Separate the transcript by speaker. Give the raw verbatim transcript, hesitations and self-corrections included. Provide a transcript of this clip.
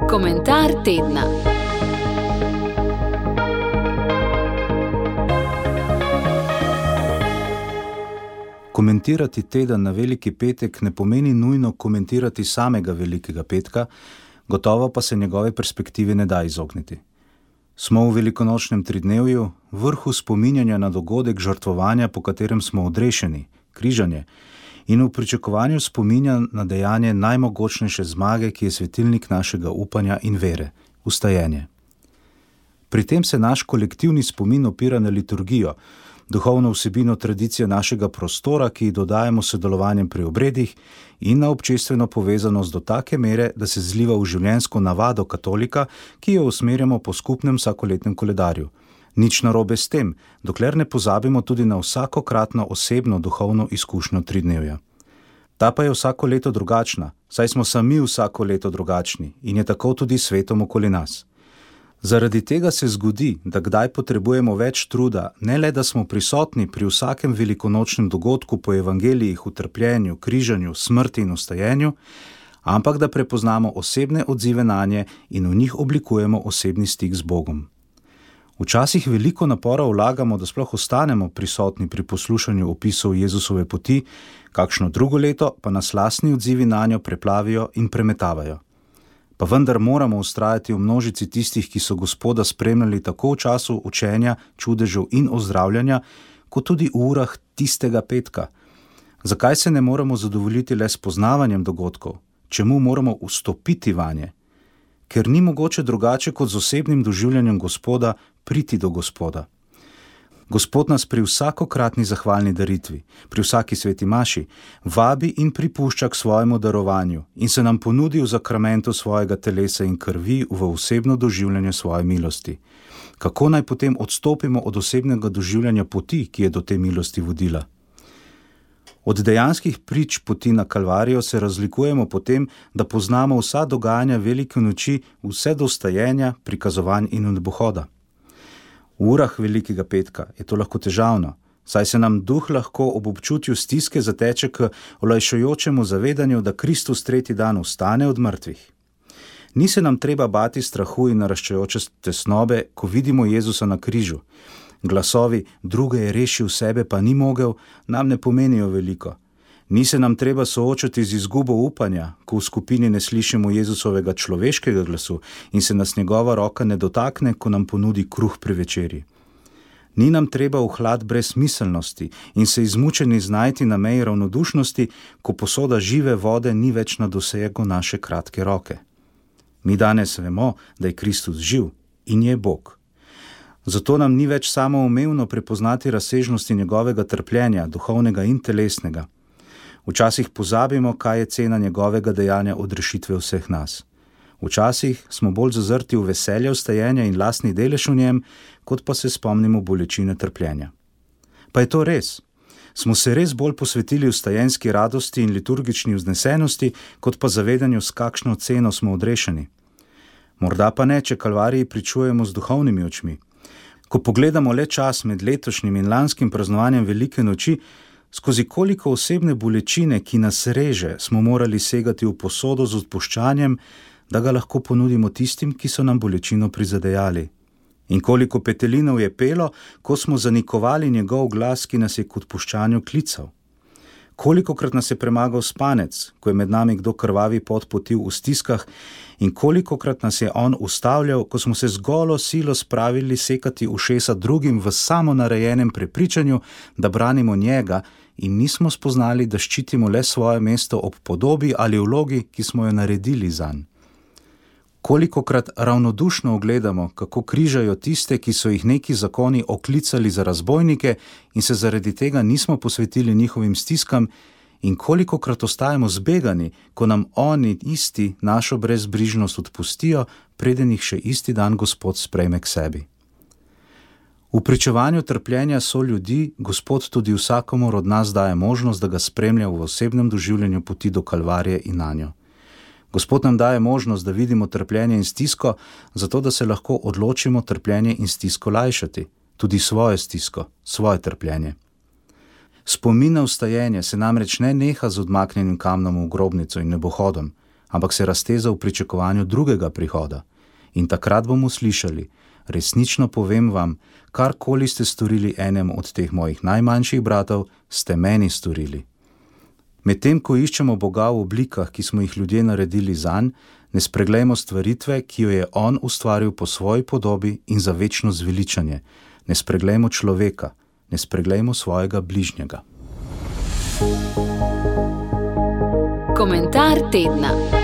Speaker 1: Komentar tedna.
Speaker 2: Komentirati teden na Veliki petek ne pomeni nujno komentirati samega Velikega petka, gotovo pa se njegove perspektive ne da izogniti. Smo v velikonočnem tridnevju, vrhu spominjanja na dogodek žrtvovanja, po katerem smo odrešeni, križanje, in v pričakovanju spominja na dejanje najmogočnejše zmage, ki je svetilnik našega upanja in vere, vstajenje. Pri tem se naš kolektivni spomin opira na liturgijo, duhovno vsebino tradicije našega prostora, ki ji dodajamo sodelovanjem pri obredih, in na občestveno povezanost do take mere, da se zliva v življenjsko navado katolika, ki jo usmerjamo po skupnem vsakoletnem koledarju. Nič narobe s tem, dokler ne pozabimo tudi na vsakokratno osebno duhovno izkušnjo tridnevja. Ta pa je vsako leto drugačna, saj smo sami vsako leto drugačni in je tako tudi svetom okoli nas. Zaradi tega se zgodi, da kdaj potrebujemo več truda, ne le da smo prisotni pri vsakem velikonočnem dogodku po evangelijih v trpljenju, križanju, smrti in vstajenju, ampak da prepoznamo osebne odzive nanje in v njih oblikujemo osebni stik z Bogom. Včasih veliko napora vlagamo, da sploh ostanemo prisotni pri poslušanju opisov Jezusove poti, kakšno drugo leto pa nas lastni odzivi nanjo preplavijo in premetavajo. Pa vendar moramo vztrajati v množici tistih, ki so Gospoda spremljali tako v času učenja, čudežev in ozdravljanja, kot tudi v urah tistega petka. Zakaj se ne moramo zadovoljiti le s poznavanjem dogodkov? Čemu moramo vstopiti vanje? Ker ni mogoče drugače kot z osebnim doživljanjem Gospoda priti do Gospoda. Gospod nas pri vsakokratni zahvalni daritvi, pri vsaki sveti maši, vabi in pripušča k svojemu darovanju in se nam ponudi v zakramentu svojega telesa in krvi v osebno doživljanje svoje milosti. Kako naj potem odstopimo od osebnega doživljanja poti, ki je do te milosti vodila? Od dejanskih prič poti na Kalvarijo se razlikujemo potem, da poznamo vsa dogajanja velike noči, vse do vstajenja, prikazovanj in nebohoda. V urah Velikega petka je to lahko težavno, saj se nam duh lahko ob občutju stiske zateče k olajšujočemu zavedanju, da Kristus tretji dan vstane od mrtvih. Ni se nam treba bati strahu in naraščajoče tesnobe, ko vidimo Jezusa na križu. Glasovi druge je rešil, sebe pa ni mogel, nam ne pomenijo veliko. Ni se nam treba soočati z izgubo upanja, ko v skupini ne slišimo Jezusovega človeškega glasu in se nas njegova roka ne dotakne, ko nam ponudi kruh pri večerji. Ni nam treba v hlad brez miselnosti in se izmučeni znajti na meji ravnodušnosti, ko posoda žive vode ni več na dosegu naše kratke roke. Mi danes vemo, da je Kristus živ in je Bog. Zato nam ni več samoumevno prepoznati razsežnosti njegovega trpljenja, duhovnega in telesnega. Včasih pozabimo, kaj je cena njegovega dejanja odrešitve vseh nas. Včasih smo bolj zazrti v veselje vstajenja in lastni delež v njem, kot pa se spomnimo bolečine trpljenja. Pa je to res? Smo se res bolj posvetili vstajenski radosti in liturgični vznesenosti, kot pa zavedanju, s kakšno ceno smo odrešeni? Morda pa ne, če Kalvariji pričujemo z duhovnimi očmi. Ko pogledamo le čas med letošnjim in lanskim praznovanjem Velike noči, skozi koliko osebne bolečine, ki nas reže, smo morali segati v posodo z odpuščanjem, da ga lahko ponudimo tistim, ki so nam bolečino prizadejali. In koliko petelinov je pelo, ko smo zanikovali njegov glas, ki nas je k odpuščanju klical. Kolikokrat nas je premagal spanec, ko je med nami kdo krvavi pot potil v stiskah, in kolikokrat nas je on ustavljal, ko smo se z golo silo spravili sekati ušesa drugim v samonarejenem prepričanju, da branimo njega in nismo spoznali, da ščitimo le svoje mesto ob podobi ali vlogi, ki smo jo naredili zanj. Kolikokrat ravnodušno ogledamo, kako križajo tiste, ki so jih neki zakoni oklicali za razbojnike in se zaradi tega nismo posvetili njihovim stiskam, in kolikokrat ostajamo zbegani, ko nam oni isti našo brezbrižnost odpustijo, preden jih še isti dan Gospod sprejme k sebi. V pričevanju trpljenja so ljudi Gospod tudi vsakomur od nas daje možnost, da ga spremlja v osebnem doživljanju poti do Kalvarije in nanjo. Gospod nam daje možnost, da vidimo trpljenje in stisko, zato da se lahko odločimo trpljenje in stisko lajšati, tudi svojo stisko, svoje trpljenje. Spomin na vstajenje se namreč ne neha z odmaknjenim kamnom v grobnico in nebohodom, ampak se razteza v pričakovanju drugega prihoda. In takrat bomo slišali: resnično povem vam, karkoli ste storili enemu od teh mojih najmanjših bratov, ste meni storili. Medtem ko iščemo Boga v oblikah, ki smo jih ljudje naredili zanj, ne spreglejmo stvaritve, ki jo je on ustvaril po svoji podobi in za večno zveličanje. Ne spreglejmo človeka, ne spreglejmo svojega bližnjega.
Speaker 1: Komentar tedna.